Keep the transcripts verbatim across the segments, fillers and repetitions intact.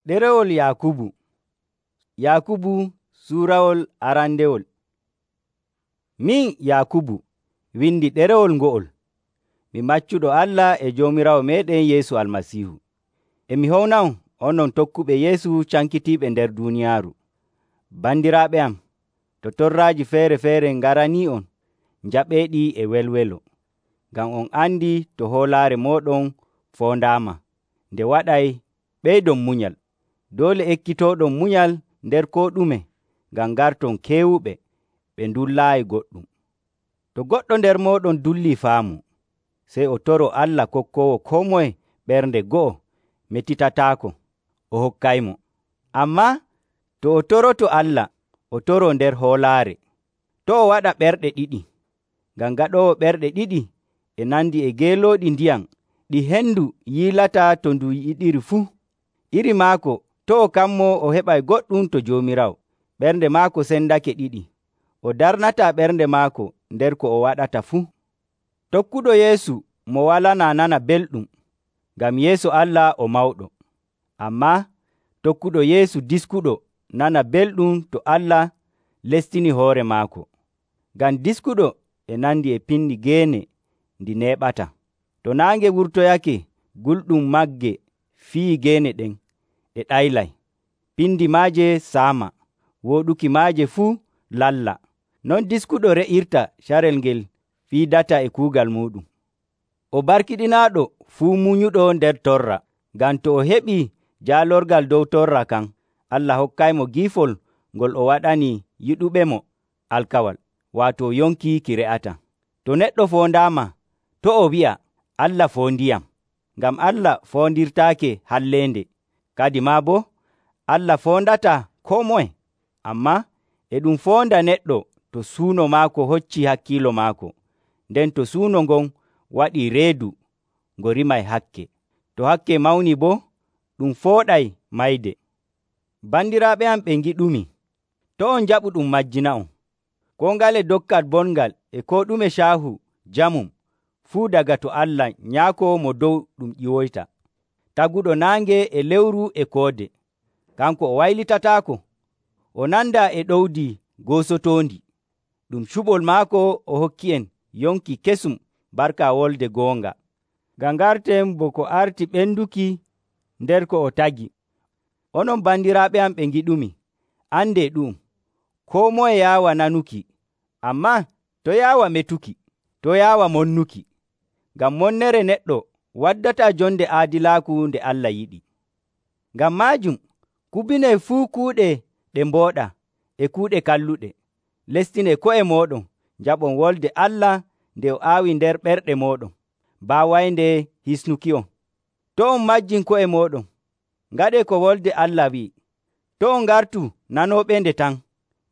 Ɗerewol Yaakubu. Yaakubu suurawol arandewol. Min Yaakubu windi ɗerewol ngo'ol, mi maccuɗo Allah e Joomiraawo meeɗen Yeesu Almasiihu. E mi howna'on onon tokkuɓe Yeesu cankitiiɓe nder duuniyaaru. Bandiraaɓe am, to torraaji feere-feere ngaranii'on njaɓeeɗi e welwelo, ngam on andi to hoolaare mooɗon foondaama, nde waɗay ɓeydon munyal. Doole ekkitooɗon munyal nder koo ɗume, ngam ngarton keewuɓe ɓe ndullaayi goɗɗum. To goɗɗo nder mooɗon dullii faamu, sey o toro Allah kokkoowo koo moye ɓernde go'o metitataako, o hokkaymo. Ammaa to o toroto Allah, o toroo nder hoolaare. To' o waɗa ɓerɗe ɗiɗi, ngam gaɗoowo ɓerɗe ɗiɗi e nandi e geelooɗi ndiyam ɗi hendu yiilata to ndu yiɗiri fuu. Iri maako to' o kammo o heɓay goɗɗum to Joomiraawo. Ɓernde maako sendake ɗiɗi, o darnataa ɓernde maako nder ko o waɗata fuu. Tokkuɗo Yeesu mo walanaa nana belɗum, ngam yeeso Allah o mawɗo. Ammaa tokkuɗo Yeesu diskuɗo nana belɗum to Allah lestini hoore maako. Ngam diskuɗo e nandi e pinni geene ndi neeɓata. To naange wurtoyake, gulɗum magge fii geene ɗen, ɗe ɗaylay. Pindi maaje saama, wooɗuki maaje fuu lalla. Non diskuɗo re'irta carel ngel fiidata e kuugal muuɗum. O barkiɗinaaɗo fuu munyuɗo nder torra, ngam to o heɓii jaalorgal dow torra kan, Allah hokkaymo giifol ngol o waɗani yiɗuɓemo alkawal, waato yonki ki re'ata. To neɗɗo foondaama, to o wi'a, Allah foondiyam, ngam Allah foondirtaake halleende. Kadi maa boo, Allah foondataa koo moye, ammaa e ɗum foonda neɗɗo to suuno maako hoccii hakkiilo maako, nden to suuno ngon waɗii reedu ngo rimay hakke. To hakke mawni boo, ɗum fooɗay mayde. Bandiraaɓe am ɓe ngiɗumi, to on njaɓu ɗum majjina'on. Koo ngale dokkal bongal e koo ɗume caahu jamum fuu daga to Allah Nyaako Mo Dow ɗum ƴiwoyta. Taguɗo naange e lewru e koode, kanko o waylitataako, o nandaa e ɗowdi goosotoondi. Ɗum cuɓol maako o hokki'en yonki kesum barka wolde goonga. Ngam ngarten bo ko arti ɓenduki nder ko o tagi. Onon bandiraaɓe am ɓe ngiɗumi, andee ɗu'um, koo moye yaawa nanuki, ammaa to yaawa metuki, to yaawa monnuki. Ngam monnere neɗɗo waddataa jonde aadilaaku nde Allah yiɗi. Ngam maajum, kubinee fuu kuuɗe ɗe mbooɗa e kuuɗe kalluɗe. Lestinee ko'e mooɗon, njaɓon wolde Allah nde o aawi nder ɓerɗe mooɗon, baawaynde hisnuki'on. To on majjin ko'e mooɗon, ngaɗee ko wolde Allah wi'i. To on ngartu nanooɓende tan,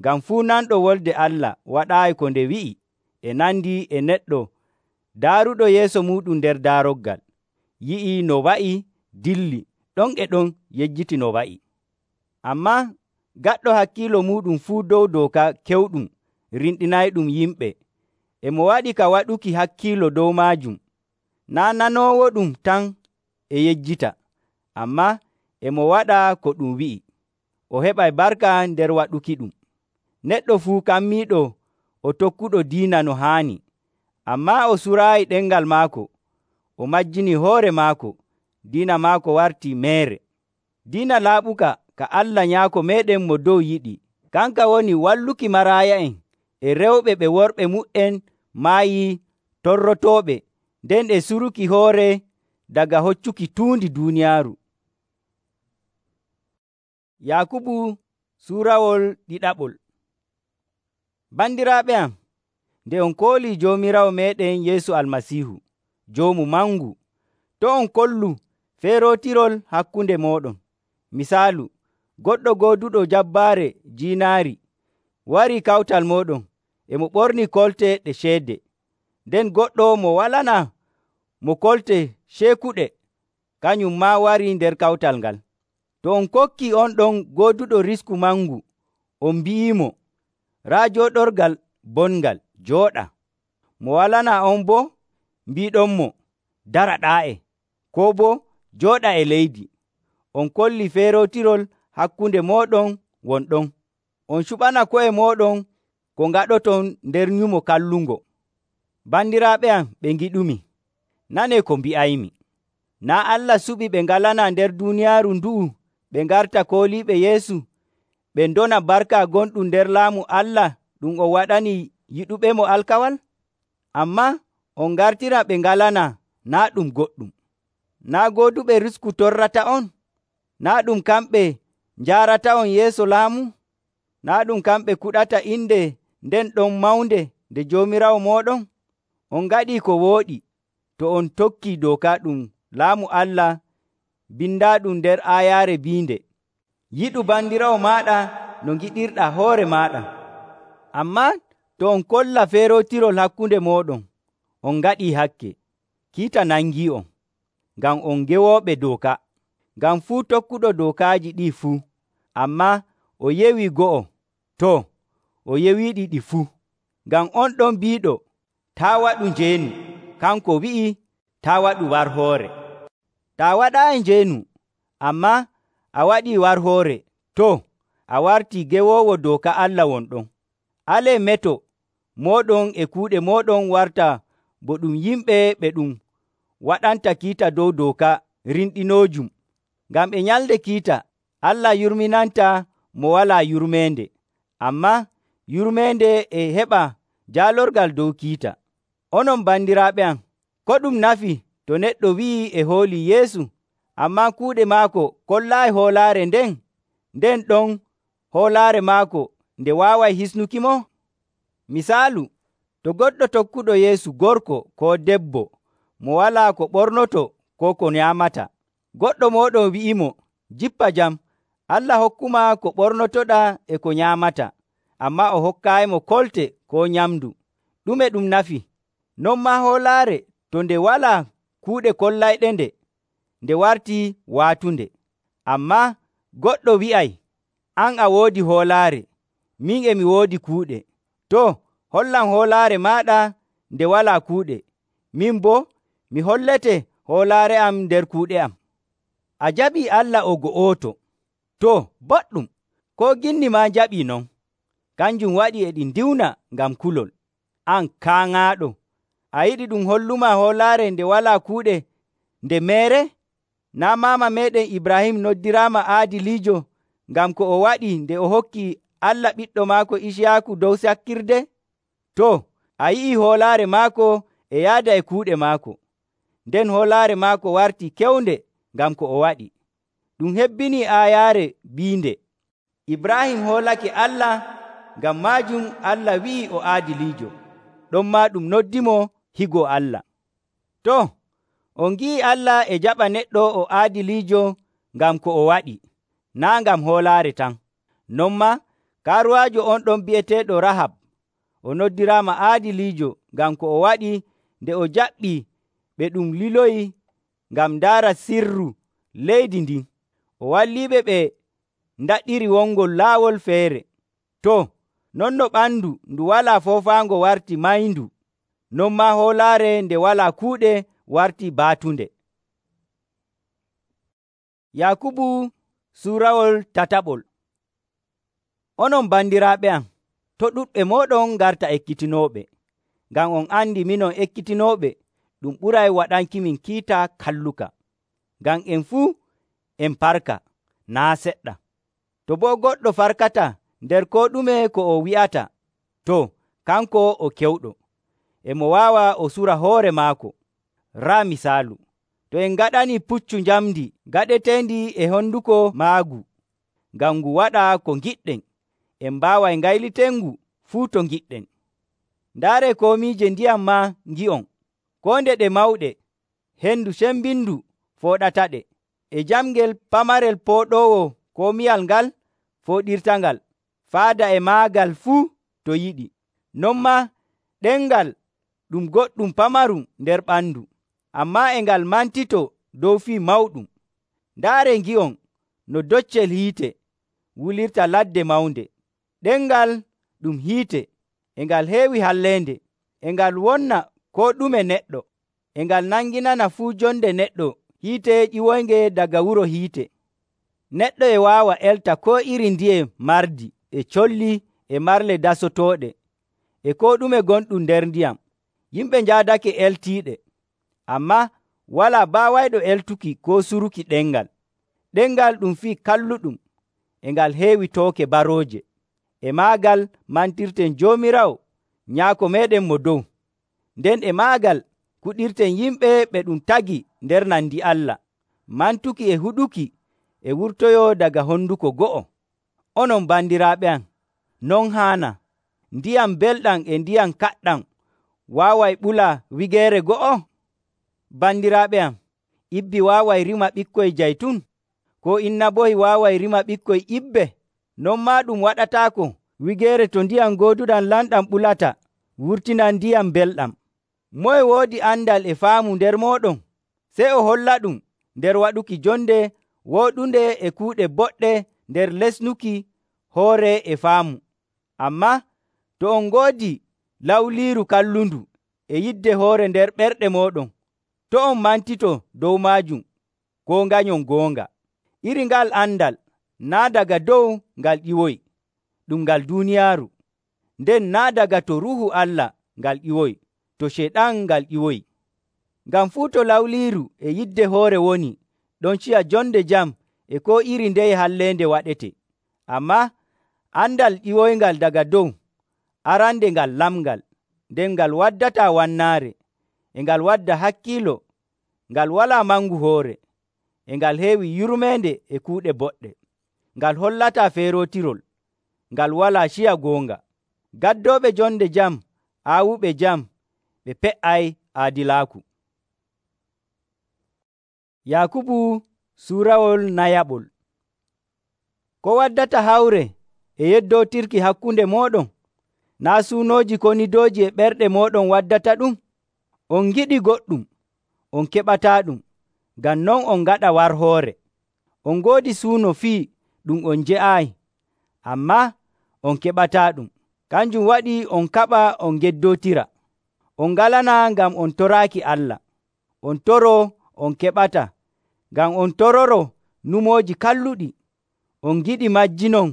ngam fuu nanɗo wolde Allah waɗaayi ko nde wi'i e nandi e neɗɗo daaruɗo yeeso muuɗum nder daaroggal, yi'ii no wa'i, dilli, ɗon e ɗon yejjiti no wa'i. Ammaa gaɗɗo hakkiilo muuɗum fuu dow dooka kewɗum rinɗinayɗum yimɓe, e mo waɗi ka waɗuki hakkiilo dow maajum, naa nanoowoɗum tan e yejjita, ammaa e mo waɗa ko ɗum wi'i, o heɓay barka nder waɗuki ɗum. Neɗɗo fuu kammiiɗo o tokkuɗo diina no haani, ammaa o suraayi ɗemngal maako, o majjini hoore maako, diina maako wartii meere. Diina laaɓuka ka Allah Nyaako meeɗen Mo Dow yiɗi, kanka woni walluki maraaya'en e rewɓe ɓe worɓe mu''en maayii torrotooɓe, nden e suruki hoore daga hoccuki tuundi duuniyaaru. Yaakubu suurawol ɗiɗaɓol. Bandiraaɓe am, nde on koolii Joomiraawo meeɗen Yeesu Almasiihu, Joomu mangu, to on kollu feerootirol hakkunde mooɗon. Misaalu, goɗɗo gooduɗo jabbaare jiinaari warii kawtal mooɗon, e mo ɓornii kolte ɗe ceede, nden goɗɗo mo walanaa mo kolte ceekuɗe, kañum maa warii nder kawtal ngal. To on kokkii on ɗon gooduɗo risku mangu, on mbi'iimo, raa jooɗorgal bongal, jooɗa. Mo walanaa on boo mbiiɗonmo, dara ɗaa'e, koo boo jooɗa e leydi. on kolli feerotirol hakkunde mooɗon won ɗon. On cuɓana ko'e mooɗon ko ngaɗoton nder nyumo kallungo. Bandiraaɓe am ɓe ngiɗumi, nanee ko mbi'aymi. Naa' Allah suɓi ɓe ngalana nder duuniyaaru ndu'u ɓe ngarta kooliiɓe Yeesu, ɓe ndona barka gonɗum nder laamu Allah ɗum o waɗani yiɗuɓemo alkawal? Ammaa on ngartira ɓe ngalana naa' ɗum goɗɗum. Naa' gooduɓe risku torrata'on? Naa' ɗum kamɓe njaarata'on yeeso laamu? Naa' ɗum kamɓe kuɗata inde nden ɗon mawnde nde Joomiraawo mooɗon? On ngaɗii ko wooɗi to on tokkii dooka ɗum laamu Allah bindaaɗum nder aayaare biinde, yiɗu bandiraawo maaɗa no ngiɗirɗaa hoore maaɗa. Ammaa to on kolla feerotirol hakkunde mooɗon, on ngaɗii hakke. Kiita nangii'on, ngam on gewooɓe dooka. Ngam fuu tokkuɗo dookaaji ɗii fuu, ammaa o yewii go'o, too, o yewiiɗi ɗi fuu. Ngam on ɗon biiɗo, taa waɗu njeenu, kanko wi'i, taa waɗu warhoore. Taa waɗaayi njeenu, ammaa a waɗii warhoore, too, a wartii gewoowo dooka Allah won ɗon. Alee meto mooɗon e kuuɗe mooɗon warta bo ɗum yimɓe ɓe ɗum waɗanta kiita dow dooka rinɗinoojum. Ngam e nyalde kiita, Allah yurminanta mo walaa yurmeende, ammaa yurmeende e heɓa jaalorgal dow kiita. Onon bandiraaɓe am, ko ɗum nafi to neɗɗo wi'ii e hoolii Yeesu, ammaa kuuɗe maako kollaayi hoolaare nden, nden ɗon hoolaare maako nde waaway hisnukimo? Misaalu, to goɗɗo tokkuɗo Yeesu gorko koo debbo mo walaa ko ɓornoto koo ko nyaamata, goɗɗo mooɗon wi'imo, jippa jam, Allah hokkumaa ko ɓornotoɗaa e ko nyaamata, ammaa o hokkaayimo kolte koo nyamndu. Ɗume ɗum nafi? Non maa hoolaare to nde walaa kuuɗe kollayɗe-nde, nde wartii waatunde. Ammaa goɗɗo wi'ay, an a woodi hoolaare, min e mi woodi kuuɗe. Too, hollan hoolaare maaɗa nde walaa kuuɗe, min boo mi hollete hoolaare am nder kuuɗe am. A jaɓii Allah o go'oto. Too, boɗɗum, koo ginni maa jaɓii non. Kanjum waɗi e ɗi ndiwna ngam kulol. An kaaŋaaɗo, a yiɗi ɗum hollumaa hoolaare nde walaa kuuɗe nde meere? Naa' maama meeɗen Ibrahim noddiraama aadiliijo ngam ko o waɗi nde o hokki Allah ɓiɗɗo maako Iciyaaku dow sakkirde? Too, a yi'ii hoolaare maako e yaada e kuuɗe maako. Nden hoolaare maako wartii kewnde ngam ko o waɗi. Ɗum hebbinii aayaare biinde, Ibrahim hoolake Allah, ngam maajum Allah wi'i o aadiliijo. Ɗonmaa ɗum noddimo higo Allah. Too, on ngi'ii Allah e jaɓa neɗɗo o aadiliijo ngam ko o waɗi, naa' ngam hoolaare tan. Non maa kaaruwaajo on ɗon bi'eteeɗo Rahab, o noddiraama aadiliijo ngam ko o waɗi nde o jaɓɓii ɓe ɗum liloyi ngam ndaara sirru leydi ndin. O walliiɓe ɓe ndaɗɗiri wongol laawol feere. Too, non no ɓandu ndu walaa foofaango warti mayndu, non maa hoolaare nde walaa kuuɗe warti baatunde. Yakubu suurawol tataɓol. Onon bandiraaɓe am, to ɗuɗɓe mooɗon ngarta ekkitinooɓe, ngam on andi minon ekkitinooɓe ɗum ɓuray waɗankimin kiita kalluka. Ngam en fuu en parka, naa seɗɗa. To boo goɗɗo farkata nder koo ɗume ko o wi'ata, to kanko o kewɗo, e mo waawa o sura hoore maako. Raa misaalu, to en ngaɗanii puccu njamndi gaɗeteendi e honduko maagu, ngam ngu waɗa ko ngiɗɗen, en mbaaway ngaylitengu fuu to ngiɗɗen. Ndaaree komiije ndiyam maa ngi'on, koo nde ɗe mawɗe, hendu cembindu fooɗataɗe, e jamngel pamarel pooɗoowo komiyal ngal fooɗirtangal, faada e maagal fuu to yiɗi. Non maa ɗemngal ɗum goɗɗum pamarum nder ɓandu, ammaa e ngal mantito dow fii mawɗum. Ndaaree ngi'on no doccel hiite wulirta ladde mawnde. Ɗemngal ɗum hiite e ngal heewi halleende, e ngal wonna koo ɗume neɗɗo, e ngal nanginana fuu jonde neɗɗo hiite ƴiwoynge daga wuro hiite. Neɗɗo e waawa elta koo iri ndiye mardi e colli e marle dasotooɗe e koo ɗume gonɗum nder ndiyam. Yimɓe njaadake eltiiɗe, ammaa walaa baawayɗo eltuki koo suruki ɗemngal. Ɗemngal ɗum fii kalluɗum e ngal heewi tooke barooje. E maagal mantirten Joomiraawo Nyaako meeɗen mo dow. Nden e maagal kuɗirten yimɓe ɓe ɗum tagi nder nandi Allah, mantuki e huɗuki e wurtoyoo daga honduko go'o. Onon bandiraaɓe am, non haana. Ndiyam belɗam e ndiyam kaɗɗam waaway ɓula wigeere go'o? Bandiraaɓe am, ibbi waaway rima ɓikkoy jaytun? Koo innabohi waaway rima ɓikkoy ibbe? Non maa ɗum waɗataako wigeere to ndiyam gooduɗam lamɗam ɓulata wurtina ndiyam belɗam. Moye woodi andal e faamu nder mooɗon? Sey o hollaɗum nder waɗuki jonde wooɗunde e kuuɗe boɗɗe nder lesnuki hoore e faamu. Ammaa to on ngoodi lawliiru kallundu e yidde hoore nder ɓerɗe mooɗon, to on mantito dow maajum koo nganyon goonga. Iri ngal andal naa daga dow ngal ƴiwoyi, ɗum ngal duuniyaaru. Nden naa daga to Ruuhu Allah ngal ƴiwoyi, to Ceyɗan ngal ƴiwoyi. Ngam fuu to lawliiru e yidde hoore woni, ɗon ciya jonde jam e koo iri ndeye halleende waɗete. Ammaa andal ƴiwoyngal daga dow, arande ngal lamngal, nden ngal waddataa wannaare, e ngal wadda hakkiilo, ngal walaa mangu hoore, e ngal heewi yurmeende e kuuɗe boɗɗe, ngal hollataa feerootirol, ngal walaa ciya goonga. Gaddooɓe jonde jam, aawuɓe jam, ɓe pe''ay aadilaaku. Yaakubu suurawol nayaɓol. Ko waddata hawre e yeddootirki hakkunde mooɗon? Naa suunooji konidooji e ɓerɗe mooɗon waddata ɗum? On ngiɗi goɗɗum, on keɓataaɗum, ngam non on ngaɗa warhoore. On ngoodi suuno fii ɗum on nje'aayi, ammaa on keɓataaɗum. Kanjum waɗi on kaɓa on ngeddootira. On ngalanaa ngam on toraaki Allah. On toroo on keɓata, ngam on tororo numooji kalluɗi. On ngiɗi majjinon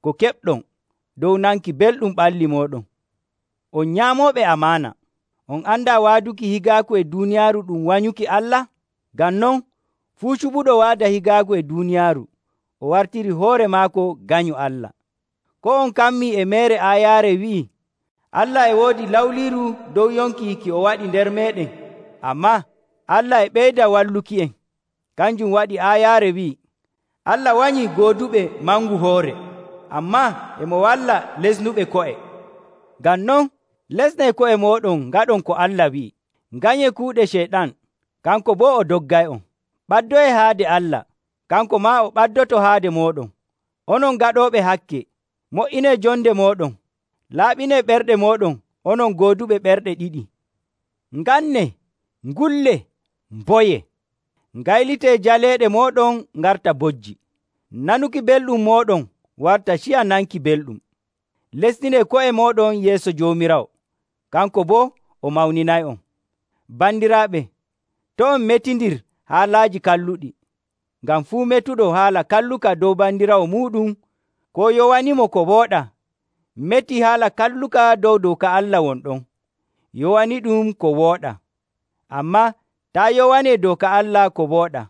ko keɓɗon dow nanki belɗum ɓalli mooɗon. On nyaamooɓe amaana. On andaa waaduki higaaku e duuniyaaru ɗum wanyuki Allah? Ngam non fuu cuɓuɗo waada higaaku e duuniyaaru, o wartiri hoore maako ganyu Allah. Ko on kammii e meere aayaare wi'i, Allah e woodi lawliiru dow yonki ki o waɗi nder meeɗen, ammaa Allah e ɓeyda walluki en. Kanjum waɗi aayaare wi'i, Allah wanyii gooduɓe mangu hoore, ammaa emo walla lesnuɓe ko'e. Ngam non lesnee ko'e mooɗon ngaɗon ko Allah wi'i. Nganyee kuuɗe Ceyɗan, kanko boo o doggay'on. Ɓaddoyee haade Allah, kanko maa o ɓaddoto haade mooɗon. Onon gaɗooɓe hakke, mo''inee jonde mooɗon. Laaɓinee ɓerɗe mooɗon, onon gooduɓe ɓerɗe ɗiɗi. Ngannee, ngulle, mboye. Ngaylitee jaleeɗe mooɗon ngarta bojji. Nanuki belɗum mooɗon warta ciya nanki belɗum. Lesninee ko'e mooɗon yeeso Joomiraawo, kanko boo o mawninay'on. Bandiraaɓe, to on metindir haalaaji kalluɗi, ngam fuu metuɗo haala kalluka dow bandiraawo muuɗum koo yowanimo ko wooɗaa, metii haala kalluka dow dooka Allah wonɗon, yowani ɗum ko wooɗaa. Ammaa taa yowanee dooka Allah ko wooɗaa,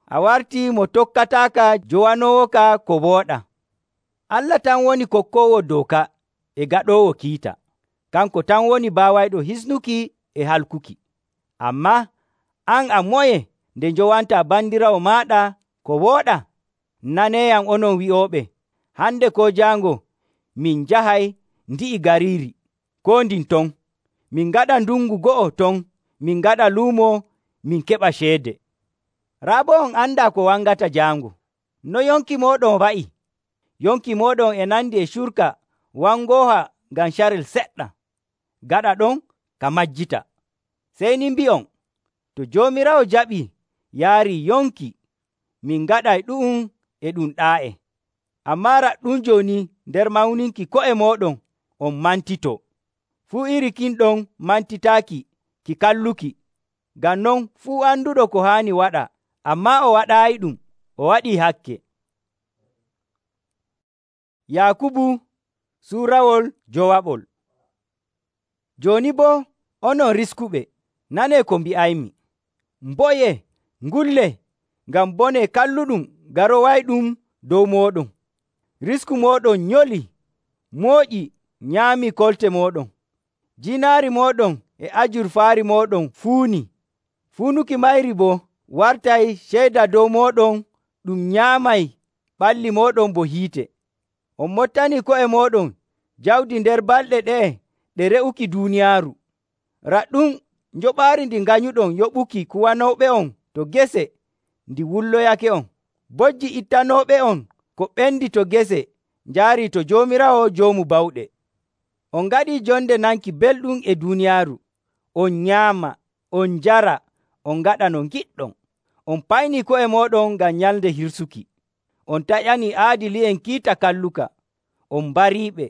a wartii mo tokkataaka jowanoowoka ko wooɗaa. Allah tan woni kokkoowo dooka e gaɗoowo kiita. Kanko tan woni baawayɗo hisnuki e halkuki. Ammaa an a moye nde njowantaa bandiraawo maaɗa ko wooɗaa? Naneeyam onon wi'ooɓe, hande koo jaango min njahay ndi'i gariiri koo ndin ton. Min ngaɗa ndungu go'o ton, min ngaɗa luumo, min keɓa ceede. Raa boo on andaa ko wangata jaango. No yonki mooɗon wa'i? Yonki mooɗon e nandi e curka wangooha ngam carel seɗɗa. Gaɗa ɗon ka majjita. Sey ni mbi'on, to Joomiraawo jaɓii yaari yonki, min ngaɗay ɗu'um e ɗum ɗaa'e. Ammaa raɗɗum jooni nder mawninki ko'e mooɗon on mantitoo. Fuu iri kin ɗon mantitaaki ki kalluki. Ngam non fuu anduɗo ko haani waɗa, ammaa o waɗaayi ɗum, o waɗii hakke. Yaakubu suurawol jowaɓol. Jooni boo onon riskuɓe, nanee ko mbi'aymi. Mboyee, ngullee, ngam bone kalluɗum garowayɗum dow mooɗon. Risku mooɗon nyolii, mooƴi, nyaamii kolte mooɗon. Jiinaari mooɗon e ajurfaari mooɗon fuunii. Fuunuki mayri boo wartay ceyda dow mooɗon ɗum nyaamay ɓalli mooɗon bo hiite. On mottanii ko'e mooɗon jawdi nder balɗe ɗe'e ɗe re'uki duuniyaaru. Raɗɗum njoɓaari ndi nganyuɗon yoɓuki kuwanooɓe'on to gese ndi wulloyake'on. Bojji ittanooɓe'on ko ɓendi to gese njaarii to Joomiraawo Joomu Bawɗe. On ngaɗii jonde nanki belɗum e duuniyaaru. On nyaama, on njara, on ngaɗa no ngiɗɗon. On paynii ko'e mooɗon ngam nyalnde hirsuki. On taƴanii aadili'en kiita kalluka. On mbariiɓe,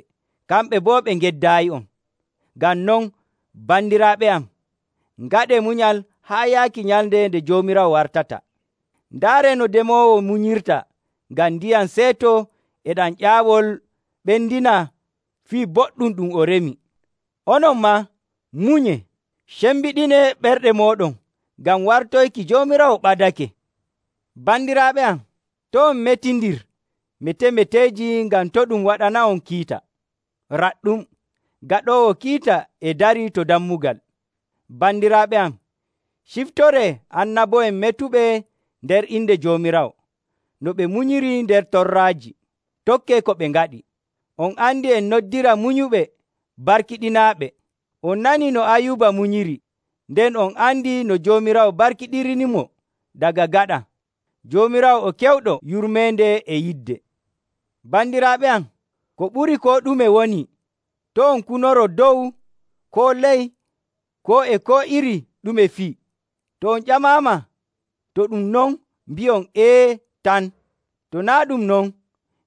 kamɓe boo ɓe ngeddaayi'on. Ngam non, bandiraaɓe am, ngaɗee munyal haa yaaki nyalnde nde Joomiraawo wartata. Ndaaree no demoowo munyirta ngam ndiyam seeto e ɗam ƴaawol ɓendina fii boɗɗum ɗum o remi. Onon maa munyee, cembiɗinee ɓerɗe mooɗon ngam wartoyki Joomiraawo ɓadake. Bandiraaɓe am, to' on metindir mete-meteeji ngam to' ɗum waɗana'on kiita. Raɗɗum, gaɗoowo kiita e darii to dammugal. Bandiraaɓe am, ciftoree annabo'en metuɓe nder inde Joomiraawo, no ɓe munyiri nder torraaji. Tokkee ko ɓe ngaɗi. On andi en noddira munyuɓe barkiɗinaaɓe. On nanii no Ayuuba munyiri, nden on andi no Joomiraawo barkiɗirinimo daga gaɗa. Joomiraawo o kewɗo yurmeende e yidde. Bandiraaɓe am, ko ɓuri koo ɗume woni, to' on kunoro dow, koo ley, koo e koo iri ɗume fii. To on ƴamaama, to ɗum non, mbi'on ‘Ee’ tan. To naa' ɗum non,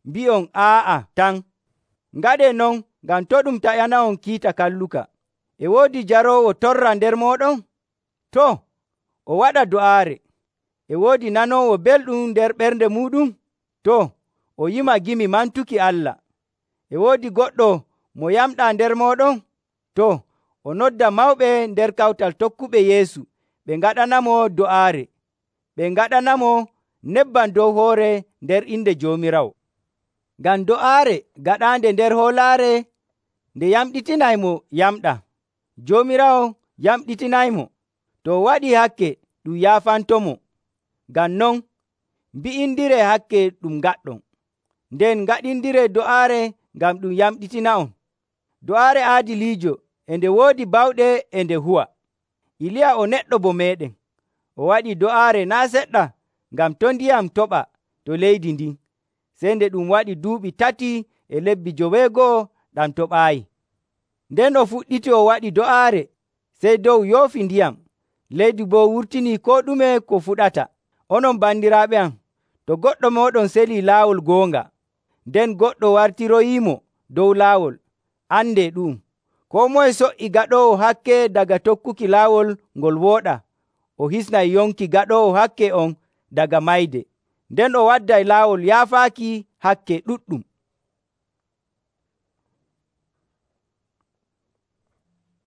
mbi'on ‘Aa'a’ tan. Ngaɗee non ngam to' ɗum taƴana'on kiita kalluka. E woodi jaroowo torra nder mooɗon? Too, o waɗa do'aare. E woodi nanoowo belɗum nder ɓernde muuɗum? Too, o yima gimi mantuki Allah. E woodi goɗɗo mo yamɗaa nder mooɗon? Too, o nodda mawɓe nder kawtal tokkuɓe Yeesu ɓe ngaɗanamo do'aare. Ɓe ngaɗanamo nebbam dow hoore nder inde Joomiraawo. Ngam do'aare gaɗaande nder hoolaare nde yamɗitinaymo yamɗa. Joomiraawo yamɗitinaymo. To o waɗii hakke ɗum yaafantomo. Ngam non, mbi'indiree hakke ɗum ngaɗɗon. Nden ngaɗindiree do'aare ngam ɗum yamɗitina'on. Do'aare aadiliijo e nde woodi bawɗe e nde huwa. Iliya o neɗɗo bo meeɗen. O waɗii do'aare naa' seɗɗa ngam to' ndiyam toɓa to leydi ndin. Sey nde ɗum waɗi duuɓi tati e lebbi joweego'o ɗam toɓaayi. Nden o fuɗɗiti o waɗi do'aare, sey dow yoofi ndiyam. Leydi boo wurtinii koo ɗume ko fuɗata. Onon bandiraaɓe am, to goɗɗo mooɗon selii laawol goonga, nden goɗɗo wartiroyiimo dow laawol, andee ɗu'um. Koo moye so''i gaɗoowo hakke daga tokkuki laawol ngol wooɗa, o hisnay yonki gaɗoowo hakke on daga mayde, nden o wadday laawol yaafaaki hakke ɗuɗɗum.